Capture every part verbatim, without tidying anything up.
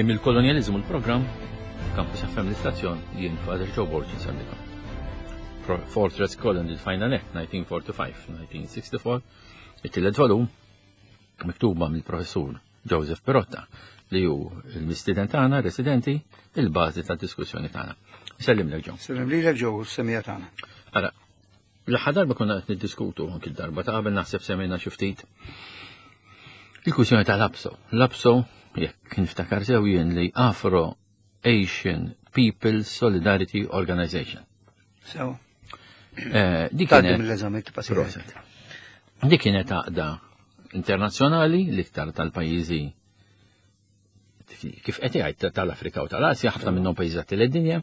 Tmiem il-kolonjaliżmu l-programm, Campus F M l-istazzjon, jien Father Joe Borg insellikom. Fortress Colony, Final Act, nineteen forty-five nineteen sixty-four, it-tielet volum, miktuba mill-professur Joseph Pirotta, li hu l-mistieden tagħna, residenti, il-bażi tad-diskussjoni tagħna. Sellimlek Joe. Sellim lilek Joe, semija tagħna. Ara, l-aħħar darba konna qed niddiskutu anki d-darba ta' qabel naħseb semmejna xi ftit il-kwistjoni ta' l-A P S O. L-A P S O, jekk niftakar sew jien, li Afro Asian People Solidarity Organization. Sew. Eh, dik Tgħaddi kienet mill-eżami tibqa' sejjer. Proset. Dik kienet għaqda internazzjonali l-iktar tal-pajjiżi kif qed jgħid tal-Afrika u tal-Asja, ħafna minnhom pajjiżi tal-dinja,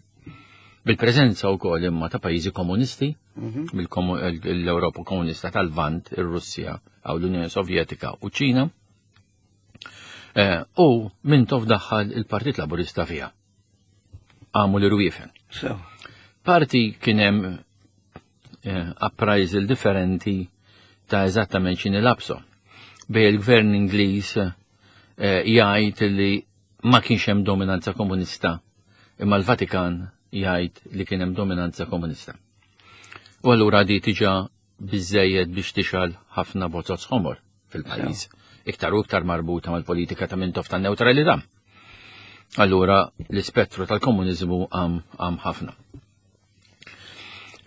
bil-preżenza wkoll imma ta' pajjiżi komunisti, Mhm. l-Ewropa komunista tal-Lvant, ir-Russja, aw l-Unjoni Sovjetika u Ċina. Eh, u Mintoff daħħal il-Partit Laburista fiha. Għamu l-irwiefen. Sew. Parti kien hemm eh, appraisal differenti ta' eżattament x'inhi l-A P S O. Bej il-gvern Ingliż eh, jgħid li ma kienx hemm dominanza komunista, imma l-Vatikan jgħid li kien hemm dominanza komunista. U allura di tiġa biżejjed biex tixgħel ħafna bozoz ħomor fil-pajjiż. Iktar u iktar marbuta mal-politika ta' Mintoff ta' neutralità. Allura l-ispettru tal-komuniżmu għam, għam ħafna.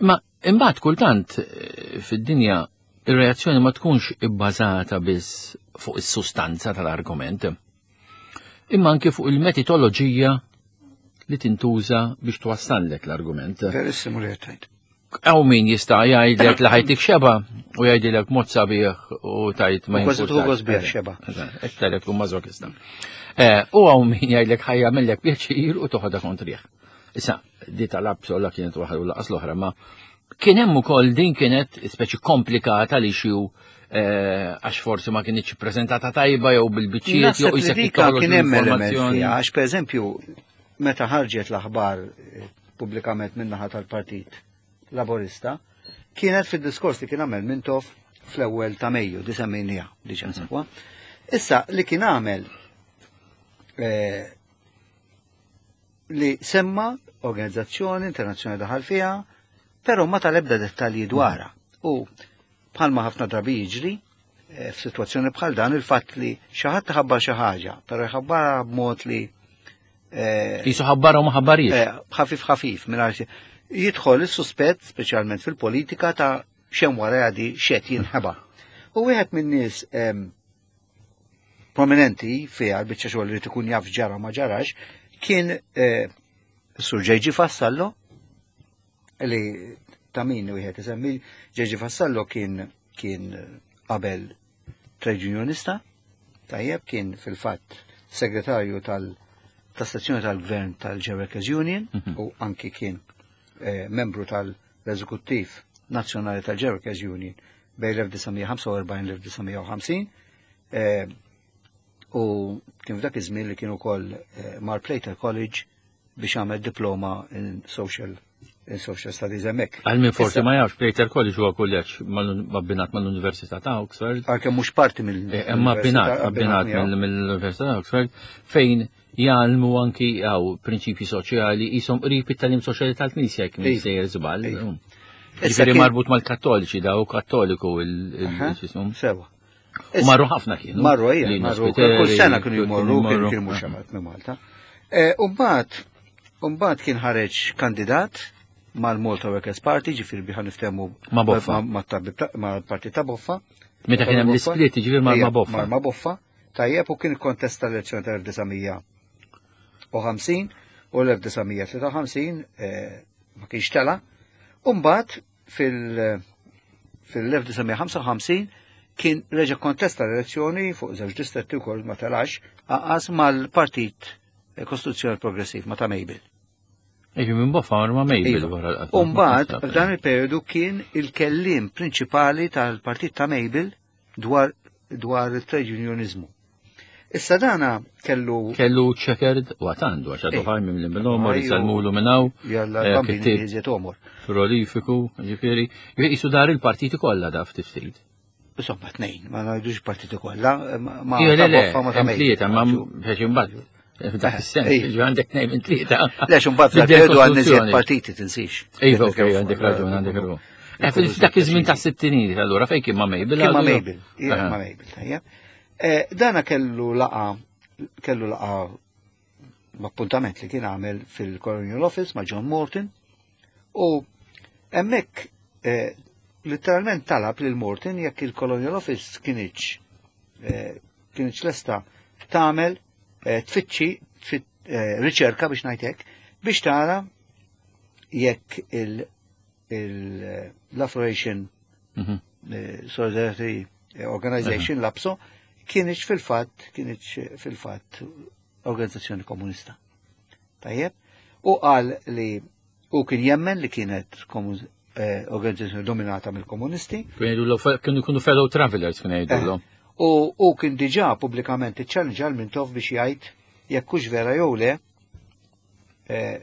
Ma imbagħad kultant eh, fid-dinja ir-reazzjoni ma tkunx ibbażata biss fuq is-sustanza tal-argument, imma anke fuq il-metodoloġija li tintuża biex twassallek l-argument. Verissimu li qed tgħid. Hawn min jista' jgħidlek li ħa jtik xebgħa u jgħidilek mod sabiħ u tajt ma U kważi jimpurtax. tieħu gost bih xebgħa. Iktar jekk tkun mażokista. Eh, U hawn min jgħidlek ħa jagħmillek pjaċir u toħodha kontrih. Issa, di tal-A P S O la kienet waħda u lanqas l-oħra, ma kien hemm ukoll din kienet speċi komplikata li xi eh, għax forsi ma kienx prezentata tajba jew bil-biċċiet jew Naħseb li isek dika toħroġ kien hemm element l-informazzjoni. fiha, għax pereżempju meta ħarġet l-aħbar eh, pubblikament min-naħa tal-Partit Laborista, kienet fid-diskors li kien għamel Mintoff fl-ewwel ta' Mejju, di semmejnija diġà sewwa. Issa li kien għamel eh, li semma organizzazzjoni internazzjonali daħal fiha, però ma tal-ebda dettalji dwarha. U bħalma ħafna drabi jiġri, eh, f'sitwazzjoni bħal dan il-fatt li xi ħadd ħabbar xi ħaġa, però jħabbarha b'mod li eh, Jisu ħabbarha u ma ħabbarix. eh, ħafif ħafif mingħajr jidħol is-suspett speċjalment fil-politika ta' x'hemm wara di x'qed jinħeba. U wieħed minn nies em, prominenti fiha l-biċċa xogħol li tkun jaf ġara ma ġarax kien eh, Sur J G. Vassallo li ta' min wieħed isemmi. J G. Vassallo kien kien qabel trade unionista, tajjeb, kien fil-fatt segretarju tal tas-sezzjoni tal-gvern tal-Workers Union Mhm. u anki kien eh, membru tal-eżekuttiv nazzjonali tal-Workers Union bejn l-elf disa' mija ħamsa u erbgħin l-elf disa' mija u ħamsin eh, u kien f'dak iż-żmien li kien ukoll eh, mar Plater College biex għamel diploma in social in social studies hemmhekk. Għal min forsi Issa, ma jafx, Plater College huwa kulleġġ mal- abbinat mal-Università ta' Oxford. Għalkemm mhux parti mill Eh, Imma abbinat, abbinat mill- mill-Università ta' Oxford, fejn jgħallmu anki għaw prinċipji soċjali jisom qrib it-tagħlim soċjali tal-Knisja jekk minn Iva. sejjer żball. Iva. Mm. Issa Ġifieri kien- marbut mal-Kattoliċi da u Kattoliku Aha, il-xismu. Sewa. U marru ħafna kienu. Marru ejja, Lino marru Spiteri, kull sena kienu jmorru, kienu jmorru. kienu mhux xamat minn Malta. Eh, Umbagħad umbagħad kien ħareġ kandidat mal-Malta Workers Party, ġifieri biħa niftehmu Ma' Boffa. ma' tabib ta- ma' partit ta' Boffa. Meta kien hemm l-isplit, ġifieri ma' Ejja, ma' Boffa. Ma' Boffa. Tajjeb, u kien kontesta l-elezzjoni tal-elf disa' mija u ħamsin u l-elf disa' mija tlieta u ħamsin eh, ma kienx tela. Umbagħad fil- fil-elf disa' mija ħamsa u ħamsin kien reġa' kontesta l-elezzjoni fuq żewġ distretti wkoll ma telax aqas mal-Partit Kostituzzjonali Progressiv ma ta' Mabel. Iġi minn Boffa ma' Mabel Iva. wara l-qatt. Umbagħad f'dan il-periodu kien il-kellim prinċipali tal-Partit ta' Mabel dwar dwar il-trade unionizmu. Issa dana kellu Kellu checkered u għatandu, għax għadu Eh. ħaj minn l-omor, Ajju. jisalmulu minnaw, Jalla eh, bambini kittieb iżjed omor. prolifiku, ġifieri, jisu dar il-partiti kollha da ftit ftit. Insomma, tnejn, ma ngħidux partiti kollha, ma ma Ija, le, ta' le, Boffa ma ta' hemm Mabel. tlieta, ma biex imbagħad F'dak is-sens, ġi għandek tnejn minn tlieta. Le, xumbat fil-periodu għan iżjed partiti tinsix. Iva, ok, għandek raġun, għandek raġun. Eh, f'dak iż-żmien ta' sittinijiet, allura fejn kien ma' Mabel? Kien ma' Mabel, ma' Mabel, tajjeb. Eh, dana kellu laqa, kellu laqa appuntament li kien għamel fil-Colonial Office ma' John Morton u hemmhekk eh, literalment talab lil Morton jekk il-Colonial Office kienx kienx lesta tagħmel tfittxi riċerka biex ngħidlek biex tara jekk l-Afro-Asian mhm. Solidarity Organization l-APSO kienx fil-fatt kienx fil-fatt organizzazzjoni komunista. Tajjeb, u qal li u kien jemmen li kienet eh, organizzazzjoni dominata mill-komunisti. Kienu kienu fellow travelers kien jgħidulhom. Eh, u u kien diġà pubblikament iċċallenġa lil Mintoff biex jgħid jekk hux vera jew le eh,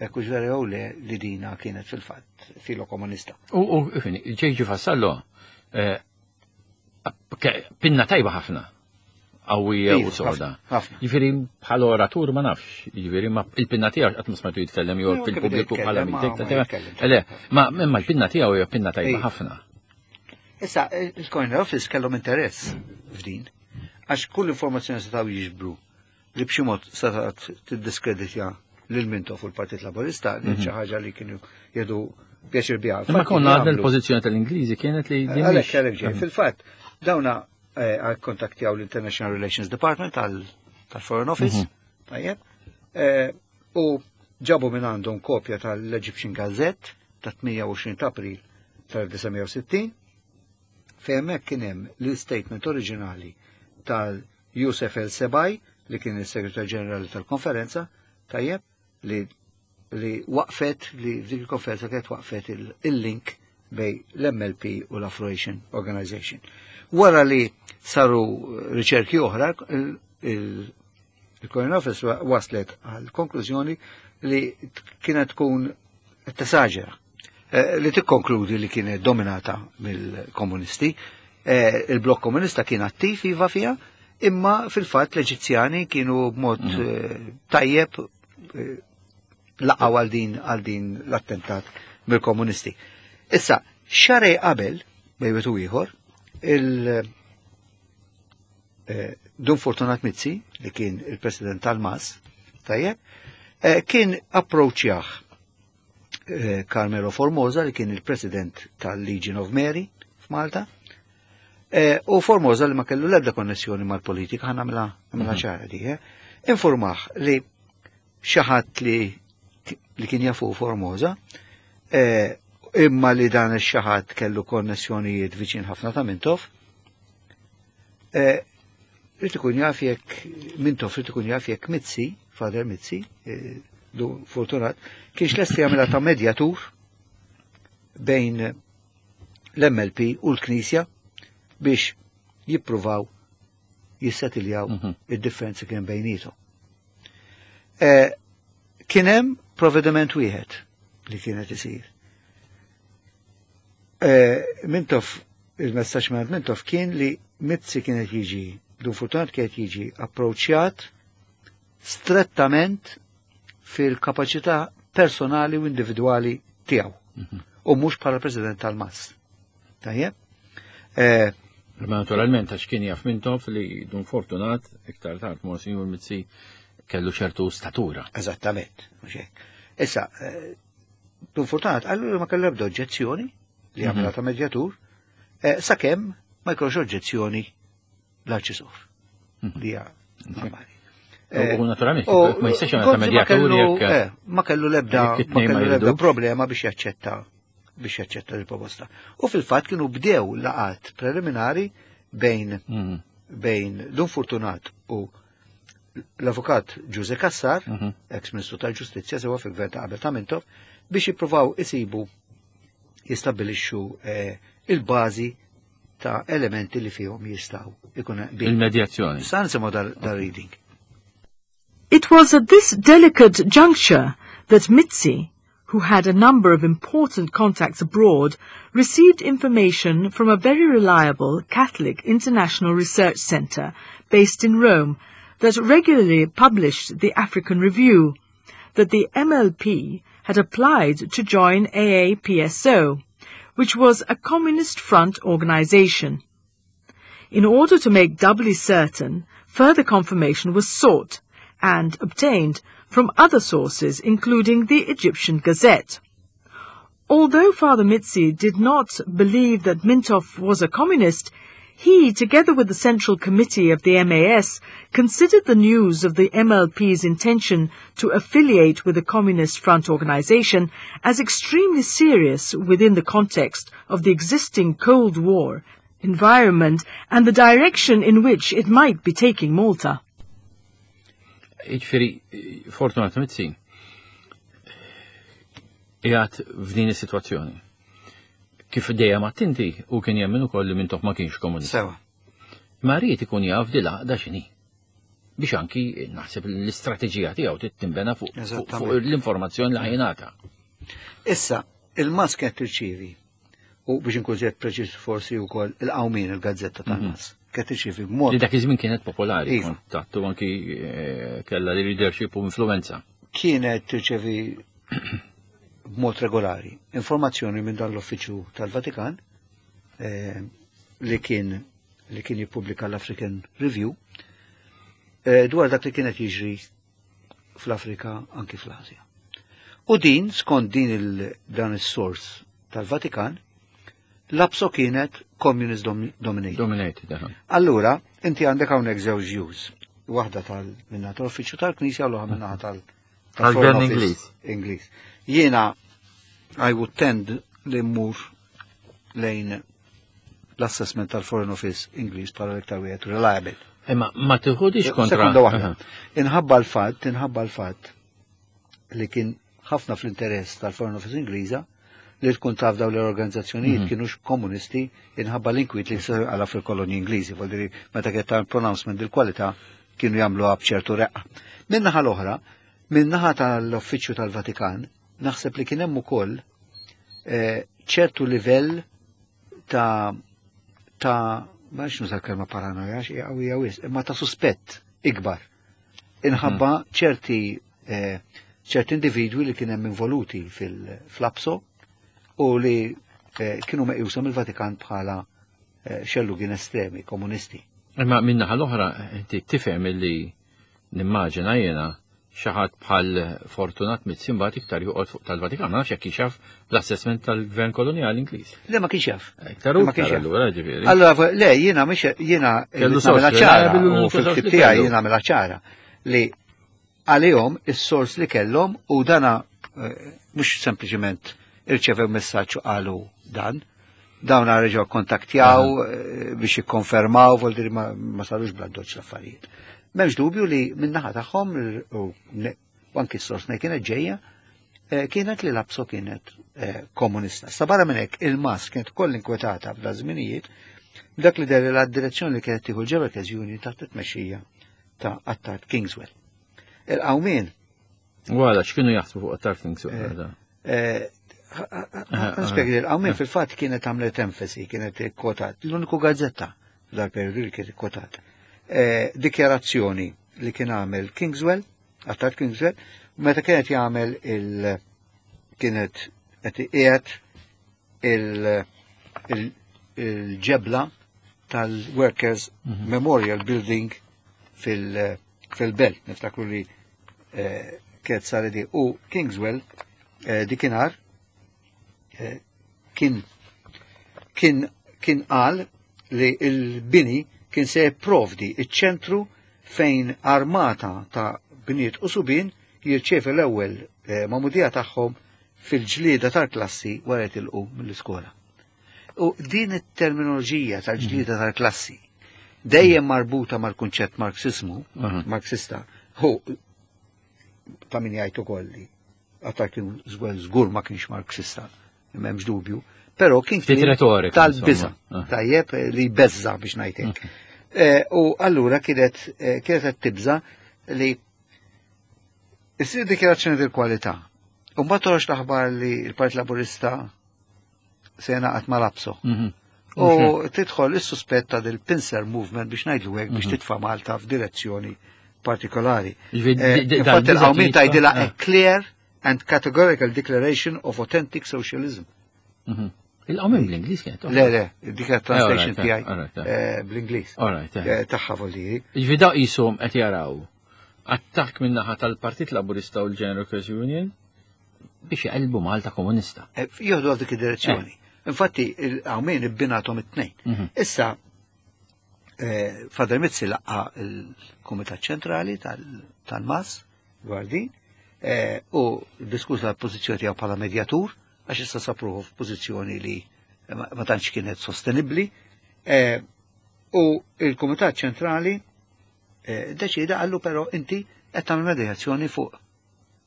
jekk hux vera jew le li dina kienet fil-fatt filo komunista. U J G Vassallo pinna tajba ħafna qawwija u soda. Jiġifieri bħala oratur ma nafx, jiġifieri ma il-pinna tiegħu qatt ma smajtu jitkellem jew fil-pubbliku bħala meeting. Le, ma imma l-pinna tiegħu hija pinna tajba ħafna. Issa, il-Colonial Office kellhom interess f'din, għax kull informazzjoni setgħu jiġbru li b'xi mod setgħet tiddiskreditja lil Mintoff u l-Partit Laburista, li xi ħaġa li kienu jieħdu pjaċir biha. Ma konna għadna l-pożizzjoni tal-Ingliżi kienet li. Għalhekk għalhekk fil-fatt dawna eh, kontaktjaw l-International Relations Department tal-Foreign Office, mhm. tajjeb, eh, u ġabu minn għandhom kopja tal-Egyptian Gazette ta' tmienja u għoxrin ta' April tal-elf disa' mija u sittin, fejn hemmhekk kien hemm l-statement oriġinali tal-Yusef El Sebaj li kien il-Segretar Ġenerali tal-konferenza, tajjeb, li li waqfet li f'dik il-konferenza kienet waqfet il-link bejn l-M L P u l-Afro-Asian Organization. Wara li saru riċerki oħra, il-Colonial Office waslet għal konklużjoni li kienet tkun tesaġera eh, li tikkonkludi li kienet dominata mill-komunisti. Eh, il-blok komunista kien attiv iva fija, imma fil-fatt l-Eġizzjani kienu b'mod mm. eh, tajjeb laqgħu għal din għal din l-attentat mill-komunisti. Issa, xahrejn qabel, bejn wieħed u ieħor, il- Dun Fortunat Mizzi, li kien il-president tal-MAS, tajjeb, kien approachjah Carmelo Formosa li kien il-president tal-Legion of Mary f'Malta. U Formosa li ma kellu l-ebda konnessjoni mal-politika, ħa nagħmilha mhm. ċara di, informah li xi ħadd li li kien jafu Formosa, imma li dan ix-xi ħadd kellu konnessjonijiet viċin ħafna ta' Mintoff, Rrid ikun jaf jekk Mintoff rrid ikun jaf jekk Mizzi, Father Mizzi, Dun Fortunat, kienx lesti jagħmilha ta' medjatur bejn l-M L P u l-Knisja biex jippruvaw jissetiljaw mhm. id-differenzi kien bejnietom. E, kien hemm provvediment wieħed li kienet isir. E, Mintoff, il-messaġġ minn Mintoff kien li Mizzi kienet jiġi, Dun Fortunat kienet jiġi approċċjat strettament fil-kapaċità personali u individuali tiegħu. Mhm. U mhux bħala president tal-MAS. Tajjeb? Eh, Ma naturalment għax kien jaf Mintoff li Dun Fortunat iktar tard Monsignor Mizzi kellu ċertu statura. Eżattament. Issa, eh, Dun Fortunat għallu ma kellu ebda oġġezzjoni li għamilha mhm. ta' medjatur, eh, sakemm ma jkollx oġġezzjoni l-Arċisqof. Mhm. Li hija normali. U naturalment, ma jistax jagħmel ta' medjatur jekk. Ma kellu lebda ma kellu lebda problema biex jaċċetta biex jaċċetta l-proposta. U fil-fatt kienu bdew laqat preliminari bejn mm. bejn Dun Fortunat u l-avukat Ġuże Cassar, mhm. ex-ministru tal-Ġustizzja sewa fil-gvern ta' qabel ta' Mintoff, biex jippruvaw isibu jistabbilixxu eh, il-bażi ta' elementi li fihom jistgħu ikun Il-medjazzjoni. Sa nisimgħu dal-reading. It was at this delicate juncture that Mizzi, who had a number of important contacts abroad, received information from a very reliable Catholic International Research Center based in Rome that regularly published the African Review that the M L P had applied to join A A P S O, which was a Communist Front organization. In order to make doubly certain, further confirmation was sought and obtained from other sources, including the Egyptian Gazette. Although Father Mizzi did not believe that Mintoff was a communist, he, together with the Central Committee of the M A S, considered the news of the M L P's intention to affiliate with the Communist Front organization as extremely serious within the context of the existing Cold War environment and the direction in which it might be taking Malta. Jiġifieri, Fortunat Mizzi, qiegħed f'din is-sitwazzjoni. Kif dejjem attenti u kien jemmen ukoll li Mintoff ma kienx komunist. Sewa. Ma ried ikun jaf dil-għaqda x'inhi. Biex anki naħseb l-istrateġija tiegħu trid tinbena fuq fuq- fuq l-informazzjoni li ħa jingħata. Issa, il-M A S kienet tirċievi, u biex inkun żjed preċiż forsi wkoll Il-Qawmien, il-gazzetta tal-M A S, kienet tirċievi b'mod Li dak iż-żmien kienet popolari, Iva. kontattu anki eh, kellha li leadership u influenza. Kienet tirċevi b'mod regolari informazzjoni minn dan l-uffiċċju tal-Vatikan eh, li kien li kien jippubblika l-African Review eh, dwar dak li kienet jiġri fl-Afrika, anki fl-Asja. U din, skont din il, dan is-sors tal-Vatikan, l-APSO kienet communist dom dominated. Dominated, aha. Allura, inti għandek hawnhekk żewġ views. Waħda tal minna tal-uffiċċju tal-Knisja u l-oħra minnaħa tal Tal-Gvern Foreign Office Ingliż. Ingliż. Jiena I would tend li mmur lejn l-assessment tal-Foreign Office Ingliż bħala l-iktar wieħed reliable. Imma ma tiħodix kontra. Sekonda waħda. Aha. Inħabba l-fatt, inħabba l-fatt li kien ħafna fl-interess tal-Foreign Office Ingliża li tkun taf dawn l-organizzazzjonijiet Mhm. kienux komunisti inħabba l-inkwiet li s għala fil-kolonji Ingliżi, vuol dire meta kien ta' pronouncement il-kwalità kienu jagħmlu b'ċertu reqqa. Min-naħa l-oħra, min-naħa tal-Uffiċċju tal-Vatikan, naħseb li kien hemm ukoll eh, ċertu livell ta' ta' ma nix nuża kelma paranoja, xi qawwija wisq, imma ta' suspett ikbar. Inħabba ċerti eh, ċerti individwi li kien hemm involuti fil-APSO u li eh, kienu meqjusa mill-Vatikan bħala eh, xellugin estremi, komunisti. Imma min-naħa l-oħra, inti tifhem illi nimmaġina jiena xi ħadd bħal Fortunat Mizzi mbagħad iktar joqgħod fuq tal-Vatikan, ma nafx jekk jixaf l-assessment tal-gvern koloniali Ingliż. Le, ma kienx jaf. Iktar u Ma kienx iktar jaf. allura, ġifieri. Allora, le, jiena mhix jiena Kellu irrid nagħmilha sors ċara reliable u u sors fil-ktib li tiegħi kellu. jiena nagħmilha ċara li għalihom is-sors li kellhom u dana eh, mhux sempliċement irċevew messaġġ u qalu dan, dawn reġgħu kontaktjaw eh, biex jikkonfermaw, vuol dire ma, ma sarux bla doċ l-affarijiet. M'hemmx dubju li min-naħa tagħhom u ne- u anki s-sors ne kienet ġejja eh, kienet li l-APSO kienet eh, komunista. Sa barra minn hekk il-M A S kienet koll inkwetata f'da żminijiet dak li der la direzzjoni li kienet tieħu l-Workers Union taħt it-tmexxija ta' Attard Kingswell. Il-Qawmien Wala, x'kienu jaħsbu fuq Attard Kingswell? eh, Nispjega li l-Qawmien fil-fatt kienet għamlet enfasi, kienet kwotat, l-uniku gazzetta dal-periodu li kienet kwotat. Eh, Dikjarazzjoni li kien għamel Kingswell, Attard Kingswell, meta kienet jagħmel il- kienet qed iqiegħed il- il- il-ġebla tal-Workers Memorial Building fil- fil-belt, niftakru li eh, kienet saret di. U Kingswell eh, dikinhar eh, kien kien kien qal li il-bini kien se jipprovdi iċ-ċentru fejn armata ta' bniet u subien jirċevi l-ewwel eh, magħmudija tagħhom fil-ġlieda tal-klassi wara jitilqu mill-iskola. U din it-terminoloġija tal-ġlieda tal-klassi dejjem marbuta mal-kunċett marxismu, Aha. marxista, hu ta' min jgħid ukoll li Attard kien żgur żgur ma kienx marxista, m'hemmx dubju, però kien Ftit kien retorika, tal-biża, insomma. Ah. tajjeb li beżza biex ngħidlek. Eh, U allura kienet eh, kienet qed tibża li issir dikjarazzjoni del-kwalità. U mbagħad toħroġ l-aħbar li l-Partit Laburista se jingħaqad mal-APSO. Mhm. U tidħol is-suspett ta' del pincer movement biex ngħidlu hekk biex titfa' Malta f'direzzjoni partikolari. Ġifieri, Eh, di- di- Infatti dal-biża' il-Qawmien jitfa' tgħidilha eh. a clear and categorical declaration of authentic socialism. Mhm. Il-Qawmien bl-Ingliż kienet. Le, le, dik translation alright, tiegħi alright, eh, bl-Ingliż. Alright, eh. Eh, Tagħha volli. Ġifieri da qishom qed jaraw attakk min-naħa tal-Partit Laburista u l-General Workers Union biex jqelbu Malta komunista. Eh, Jieħdu għal dik id-direzzjoni. Infatti, il-Qawmien ibbinathom it-tnejn. Mhm. Issa, eh, Father Mizzi laqqa il-Kumitat Ċentrali tal- tal-MAS, dwar din, eh, u diskuta l-pożizzjoni tiegħu bħala medjatur, għax issa sab ruħu f'pożizzjoni li ma ma tantx kienet sostenibbli. Eh, U il-Kumitat Ċentrali eh, deċida qallu però inti qed tagħmel medjazzjoni fuq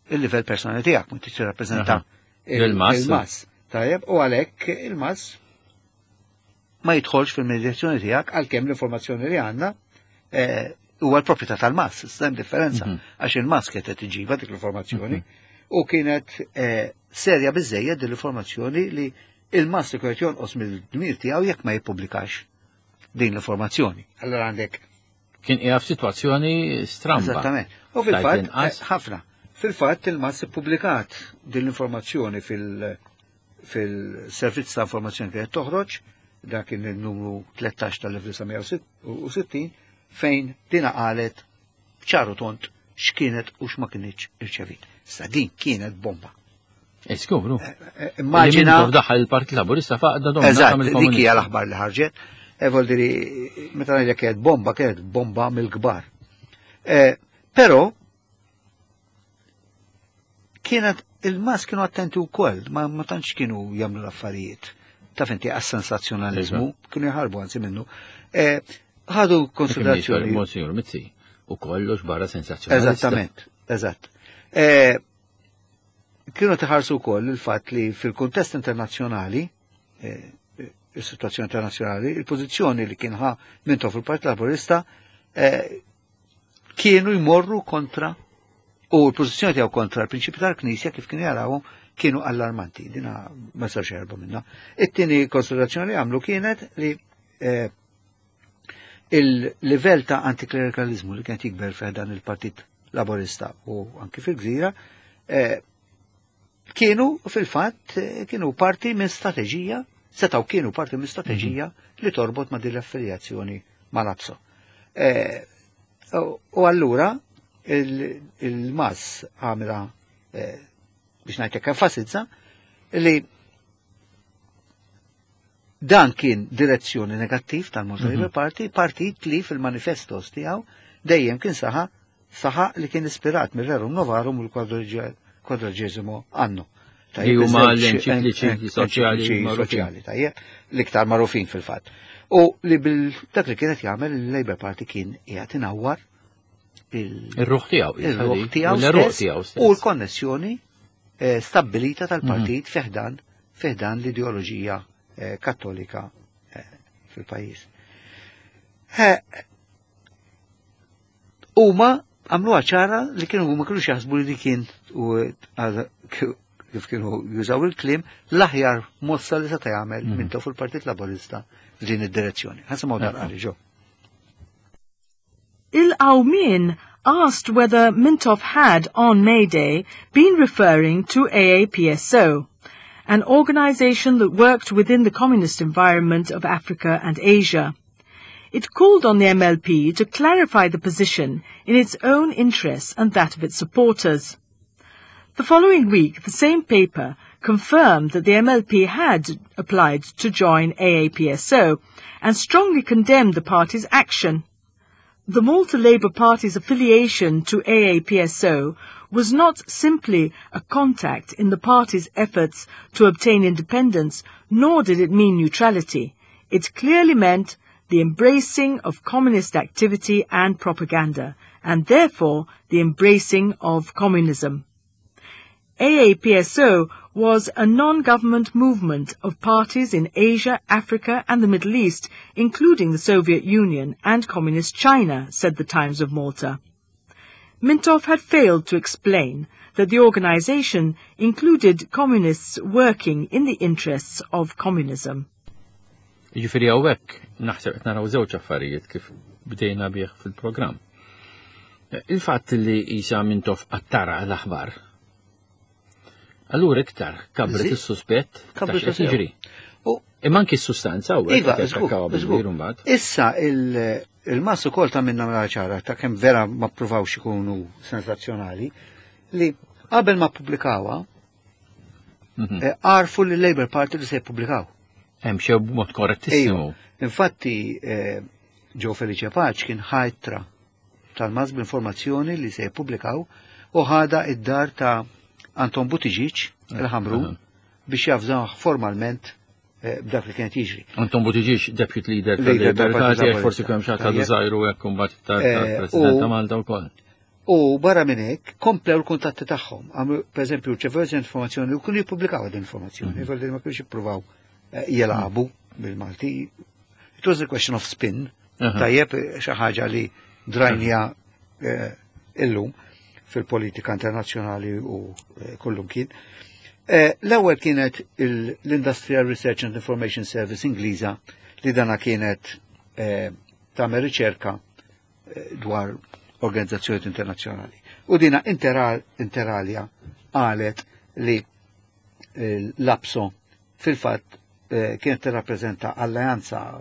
il-livell personali tiegħek, ma tirrappreżenta Aha. Il-MAS. il-MAS. Tajjeb, u għalhekk il-MAS ma jidħolx fil-medjazzjoni tiegħek għalkemm l-informazzjoni li għandna eh, huwa l-proprjetà tal-MAS, hemm differenza Mhm. għax il-MAS kienet qed iġibha dik l-informazzjoni u kienet eh, serja biżejjed din l-informazzjoni li il-MAS ikun qed jonqos mill-dmir tiegħu jekk ma jippubblikax din l-informazzjoni. Allora għandek Kien qiegħed f'sitwazzjoni stramba. Eżattament. U fil-fatt, Tajt inqas. eh, ħafna. Fil-fatt il-MAS ippubblikat din l-informazzjoni fil- fil-servizz ta' informazzjoni kienet toħroġ, dak kien il-numru tlettax tal-elf disa' mija u sittin, fejn dina qalet ċaru tont x'kienet u x'ma kienx irċevit. Sa din kienet bomba. Iskubru. Eh, Immaġina. Daħal il-Partit Laburista faqda domna. Eżatt, dik hija l-aħbar li ħarġet. E vuol dire, meta ngħidlek kienet bomba, kienet bomba mill-kbar. Eh, Però kienet il-MAS kienu attenti wkoll, ma, ma tantx kienu jagħmlu l-affarijiet. Taf inti għas-sensazzjonalizmu, kienu jaħarbu anzi minnu. Eh, Ħadu konsiderazzjoni. Monsignor Mizzi, u kollox barra sensazzjonalista. Eżattament, eżatt. Eh, Kienu tħarsu wkoll il-fatt li fil-kuntest internazzjonali, eh, il-situazzjoni internazzjonali, il-pożizzjoni li kien ħa Mintoff fil-Partit Laburista eh, kienu jmorru kontra u l-pożizzjoni tiegħu kontra l-prinċipi tal-Knisja kif kienu jarawhom kienu allarmanti. Dina ma sarx jerbu minna. It-tieni konsiderazzjoni li għamlu kienet li eh, il-livell ta' antiklerikalizmu li kienet jikber fi dan il-Partit Laburista u anki fil-Gżira eh, kienu fil-fatt eh, kienu parti minn strateġija, setaw kienu parti minn strateġija li torbot ma' din l-affiljazzjoni ma' l-APSO. Eh, U u allura il- il-MAS għamela eh, biex ngħidlek enfasizza li dan kien direzzjoni negattiv tal-Malta Labour Party, partit li fil-manifestos tiegħu dejjem kien saħa saħa li kien ispirat mir-Rerum Novarum u l-Quadragesimo Anno. Li huma l-enċikliċi soċjali enċikliċi magħrufin. soċjali, tajjeb, l-iktar magħrufin fil-fatt. U li bil dak li kienet jagħmel il-Labour Party kien qiegħed inawwar il- Ir-ruħ tiegħu. il-ruħ tiegħu l-ruħ stess tiegħu u stess. l-konnessjoni eh, stabbilita tal-partit fi ħdan fi ħdan l-ideoloġija eh, kattolika eh, fil-pajjiż. Eh, Huma għamluha ċara li kienu ma kienux jaħsbu li di kien u għal- kif kienu jużaw il-kliem l-aħjar mossa li seta' jagħmel Mhm. minn fil Partit Laburista f'din id-direzzjoni. Ħa nisimgħu dan qari ġo. Il-Qawmien asked whether Mintoff had, on May Day, been referring to A A P S O, an organization that worked within the communist environment of Africa and Asia. It called on the M L P to clarify the position in its own interests and that of its supporters. The following week, the same paper confirmed that the M L P had applied to join A A P S O and strongly condemned the party's action. The Malta Labour Party's affiliation to A A P S O was not simply a contact in the party's efforts to obtain independence, nor did it mean neutrality. It clearly meant the embracing of communist activity and propaganda, and therefore the embracing of communism. A A P S O was a non-government movement of parties in Asia, Africa and the Middle East, including the Soviet Union and Communist China, said the Times of Malta. Mintoff had failed to explain that the organization included communists working in the interests of communism. Jiġifieri hawnhekk naħseb qed naraw żewġ affarijiet kif bdejna bih fil-programm. Il-fatt li Isa Mintoff attara l-aħbar, allura iktar kabret Zi- is-suspett ta' Kabret x'qed sew. jiġri. U Imma anki s-sustanza u Iva, qed żgur, jattakkawha żgur. bil-kbir mbagħad. Issa il- il-MAS ukoll ta' minna mela ċara ta' kemm vera ma ppruvawx ikunu sensazzjonali li qabel ma ppubblikawha Mhm. eh, għarfu li l-Labour Party li se jippubblikaw. Hemm xew b'mod korrettissimu. Infatti eh, Joe Felice Pace kien ħa ittra tal-MAS b'informazzjoni li se jippubblikaw u ħada id-dar ta' Anton Buttigieg il-Ħamrun Aha. biex javżaw formalment eh, b'dak li kienet jiġri. Anton Buttigieg, deputy leader Leader tal-Labour tal-Partit Party, Laburista. forsi kemm xi ħadd Tajjeb. żgħiru hekk imbagħad Eh, tal-President u- ta' Malta wkoll. U barra minn hekk komplew l-kuntatti tagħhom. Għamlu pereżempju rċevew informazzjoni u kienu jippubblikaw din informazzjoni, mm -hmm. ma kienux jippruvaw eh, jilagħbu bil-Malti. It was a question of spin. Aha. Tajjeb eh, xi ħaġa li drajnija eh, illum fil-politika internazzjonali u eh, kullum kien. Eh, L-ewwel kienet il- l-Industrial Research and Information Service Ingliża li dana kienet eh, tagħmel riċerka eh, dwar organizzazzjonijiet internazzjonali. U dina interal, inter alia qalet li eh, l-APSO fil-fatt eh, kienet tirrappreżenta alleanza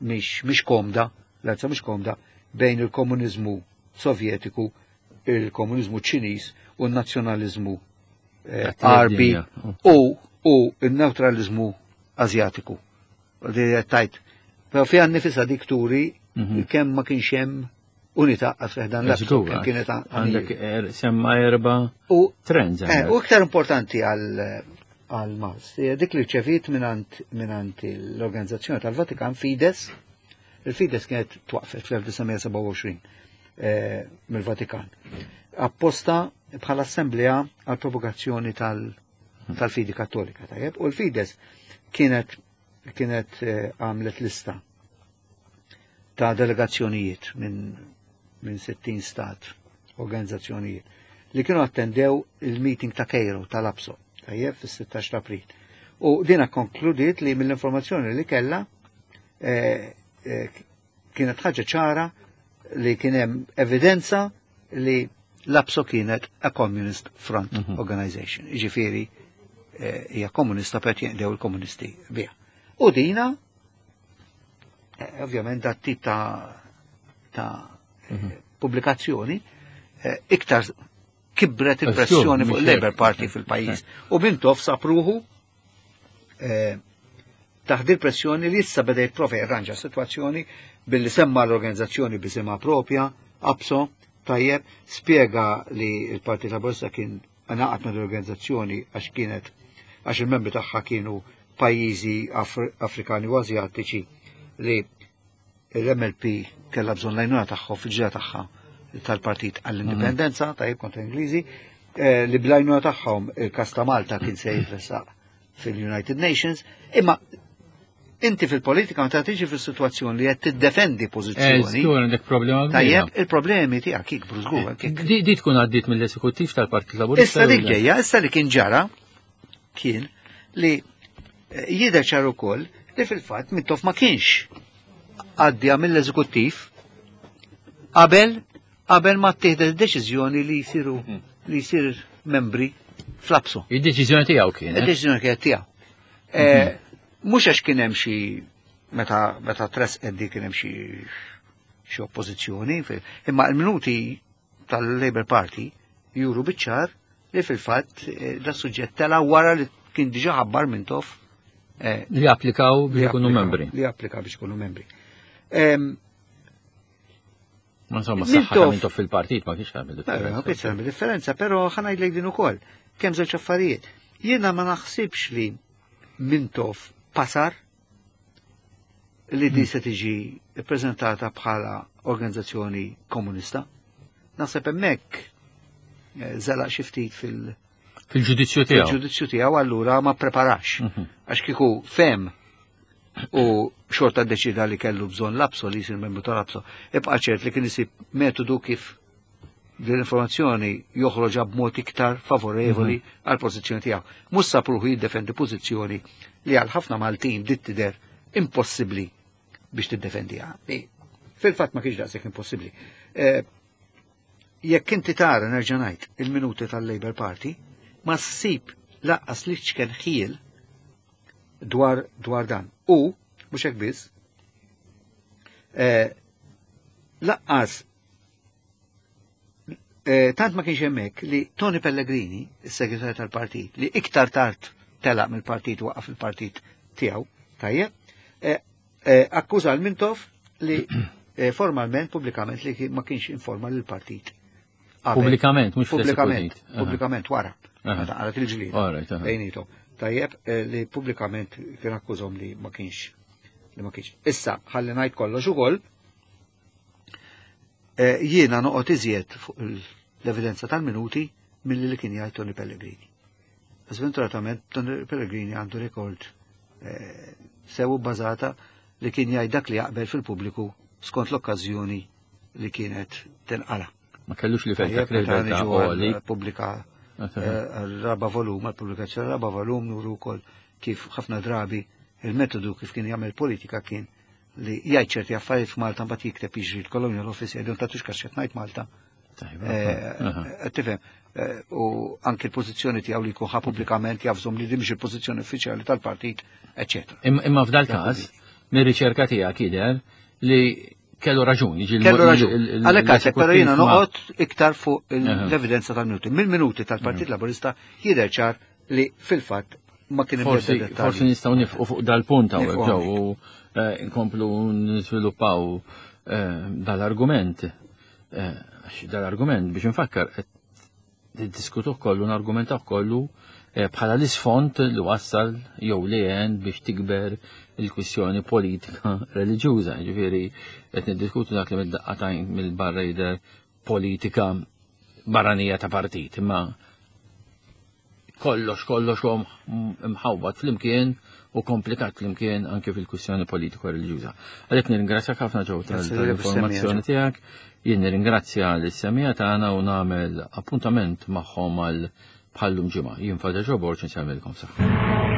mhix mhix komda, alleanza mhix komda bejn il-komuniżmu sovjetiku, il-komuniżmu ċiniż u n-nazzjonaliżmu eh, Arbi Dinja. u u il-neutralizmu Azjatiku. Di tajt. Però fiha nifisha dik turi Mhm. kemm ma kienx hemm unità għas dan l Żgur, kemm kienet Għandek er- semma erba U trends. eh, għandek. u iktar importanti għal għal MAS, hija dik li rċevit minant minant l-organizzazzjoni tal-Vatikan Fides. Il-Fides kienet twaqfet fl-elf disa' mija sebgħa u għoxrin eh, mill-Vatikan. Apposta bħala assemblea għal propagazzjoni tal- tal-fidi kattolika, tajjeb, u l-Fides kienet kienet eh, għamlet lista ta' delegazzjonijiet minn minn sittin stat, organizzazzjonijiet, li kienu attendew il-meeting ta' Cairo tal-APSO, tajjeb, fis-sittax ta' April. U dina konkludiet li mill-informazzjoni li kella eh, eh, kienet ħaġa ċara li kien hemm evidenza li l-APSO kienet a Communist Front Mhm. Organization. Ġifieri, eh, hija komunista per jinqdew il-komunisti biha. U dina, eh, ovvjament, dat tip ta' ta' eh, pubblikazzjoni eh, iktar kibret il-pressjoni fuq mhux il-Labour hekk. Party fil-pajjiż. U Mintoff sab ruħu eh, taħt il-pressjoni li issa beda jipprova jirranġa s-sitwazzjoni billi semma l-organizzazzjoni b'isimha propja, APSO, tajjeb, spiega li il-Partit Laburista kien ngħaqad ma' l-organizzazzjoni għax kienet għax il-membri tagħha kienu pajjiżi Afri Afrikani u Azjatiċi li l-M L P kellha bżonn l-għajnuna tagħhom fil-ġira tagħha tal-partit għall-indipendenza, tajjeb, kontra Ingliżi, eh, li bl-għajnuna tagħhom il-kas ta' Malta kien se jitressaq fil-United Nations, imma inti fil-politika meta tiġi fil-situazzjoni li qed tiddefendi Eh, pożizzjoni, żgur għandek problema kbira. tajjeb, il-problemi tiegħek jikbru żgur. kik. Di di tkun għaddiet mill-eżekuttiv tal-Partit Laburista. Issa dik jew le? ġejja, issa li kien ġara kien li eh, jidher ċar ukoll li fil-fatt Mintoff ma kienx għaddija mill-eżekuttiv qabel qabel ma ttieħdet id-deċiżjoni li jsiru li jsir membri fl-APSO. Id-deċiżjoni tiegħu kienet. Id-deċiżjoni kienet tiegħu. Eh, Mhux għax kien hemm xi meta meta tressqet di kien hemm xi xi oppożizzjoni, fi- imma l-minuti tal-Labour Party juru biċ-ċar li fil-fatt eh, da suġġett tela wara li kien diġà ħabbar Mintoff eh, Li applikaw li biex ikunu applika- membri. Li applika biex ikunu membri. Em, Ma insomma, saħħa ta' Mintoff- Mintoff fil-partit ma kienx tagħmel Ma differenza. kienx tagħmel differenza, però ħa ngħidlek din ukoll. Kemm żewġ affarijiet. Jiena ma naħsibx li Mintoff pasar li di se tiġi ppreżentata bħala organizzazzjoni komunista. Naħseb hemmhekk eh, żelaq xi ftit fil- Fil-ġudizzju tiegħu. fil-ġudizzju tiegħu, allura ma preparax. Mhm. Għax kieku fem u xorta deċida li kellu bżonn l-APSO li jisir membru tal-APSO, ibqa' ċert li kien isib metodu kif din l-informazzjoni joħroġha b'mod iktar favorevoli għal pożizzjoni tiegħu. Mhux sab ruħu jiddefendi pożizzjoni li għal ħafna Maltin bdiet tidher impossibbli biex tiddefendiha. Li fil-fatt ma kienx daqshekk impossibbli. Eh, Jekk inti tara, nerġa' ngħid, il-minuti tal-Labour Party, ma ssib lanqas li ċken ħjiel dwar dwar dan. U mhux hekk biss, eh, lanqas eh, tant ma kienx hemmhekk li Tony Pellegrini, is-segretarju tal-partit, li iktar tard telaq mill-partit, waqaf il-partit tiegħu, tajjeb, eh, eh, akkuża l-Mintoff li eh, formalment, pubblikament, li ma kienx informa lill-partit. Qabel. Pubblikament, mhux Pubblikament, fl-eżekutiv. Pubblikament wara. Aha. Meta qalet il-ġlieda. All right, aha. Bejnietom. Tajjeb, eh, li pubblikament kien akkużhom li ma kienx li ma kienx. Issa, ħalli ngħid kollox ukoll, eh, jiena noqgħod iżjed fuq l-evidenza tal-minuti milli li kien jgħid Tony Pellegrini. Sventuratament Tony Pellegrini għandu rekord eh, sew bbażata li kien jgħid dak li jaqbel fil-pubbliku skont l-okkażjoni li kienet tinqala. Ma kellux li fejn ta' Tajjeb, meta kredibilità niġu għoli. għal pubblika għal-raba volum, għal-pubblikazzjoni raba volum, nuru wkoll kif ħafna drabi il-metodu kif kien jagħmel politika kien li jgħid ċerti affarijiet f'Malta, mbagħad jikteb, jiġri l-Colonial Office, jgħidu tagħtux każ x'qed ngħid Malta. Tajba. Eh, Aha. eh, Tifhem, eh, u anki l-pożizzjoni tiegħu li jkun ħa pubblikament jafżom li din mhix il-pożizzjoni uffiċjali tal-partit, eċetera. Im- Imma f'dal każ, mir-riċerka tiegħek jidher li kellu raġun. Jiġi Kellu raġun. Għalhekk għalhekk, però jiena noqgħod iktar fuq il- Aha. l-evidenza tal-minuti. Mill-minuti tal-Partit Laburista jidher ċar li fil-fatt ma kien hemm Forsi ebda dettalji. Forsi nistgħu nieqfu fuq dal-punt hawnhekk Nieqfu ġew u eh, nkomplu niżviluppaw eh, dal-argument. Eh, Għax dal-argument, biex nfakkar, qed niddiskutuh kollu, nargumentaw kollu eh, bħala l-isfond li wassal jew li għen biex tikber il-kwistjoni politika reliġjuża. Ġifieri qed niddiskutu dak li mid-daqqatajn mill-barra jidher politika barranija ta' partit, imma kollox, kollox huwa mħawwad flimkien u komplikat flimkien anke fil-kwistjoni politiko reliġjuża. Għalhekk nirringrazzjak ħafna ġew Grazzi tal-informazzjoni tiegħek. Jien nirringrazzja lis-semmiegħa tagħna u nagħmel appuntament magħhom għal bħallum ġimgħa. Jien Father Joe Borg, nsellmilkom saħħa.